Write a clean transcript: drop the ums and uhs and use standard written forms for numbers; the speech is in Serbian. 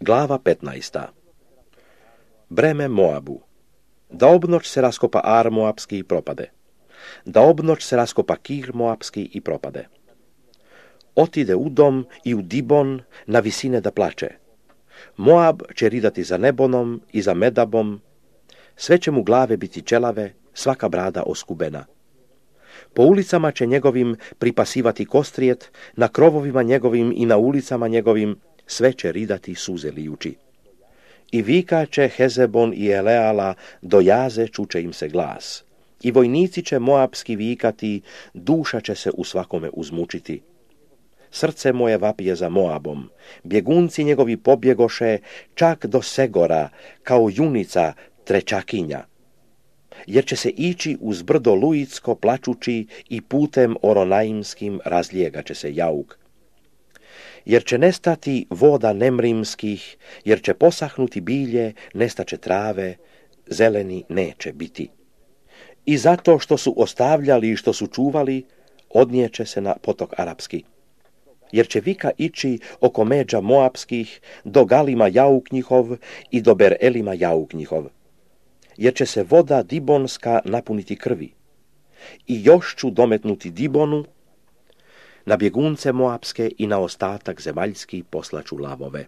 Glava 15. Breme Moabu. Da obnoć se raskopa Ar Moabski i propade. Da obnoć se raskopa Kir Moabski i propade. Otide u dom i u Dibon na visine da plače. Moab će ridati za Nebonom i za Medabom, sve će mu glave biti ćelave, svaka brada oskubena. Po ulicama će njegovim pripasivati kostrijet, na krovovima njegovim i na ulicama njegovim sve će ridati suze lijući. I vikaće Hezebon i Eleala, do jaze čuče im se glas. I vojnici će moabski vikati, duša će se u svakome uzmučiti. Srce moje vapije za Moabom, bjegunci njegovi pobjegoše čak do Segora, kao junica trećakinja. Jer će se ići uz brdo Luitsko plačući i putem Oronaimskim razlijegat će se jauk. Jer će nestati voda nemrimskih, jer će posahnuti bilje, nestaće trave, zeleni neće biti. I zato što su ostavljali i što su čuvali, odnijeće se na potok Arapski. Jer će vika ići oko međa Moabskih, do Galima jauk njihov i do Berelima jauk njihov. Jer će se voda Dibonska napuniti krvi. I još ću dometnuti Dibonu, na bjegunce Moabske i na ostatak zemaljski poslaću lavove.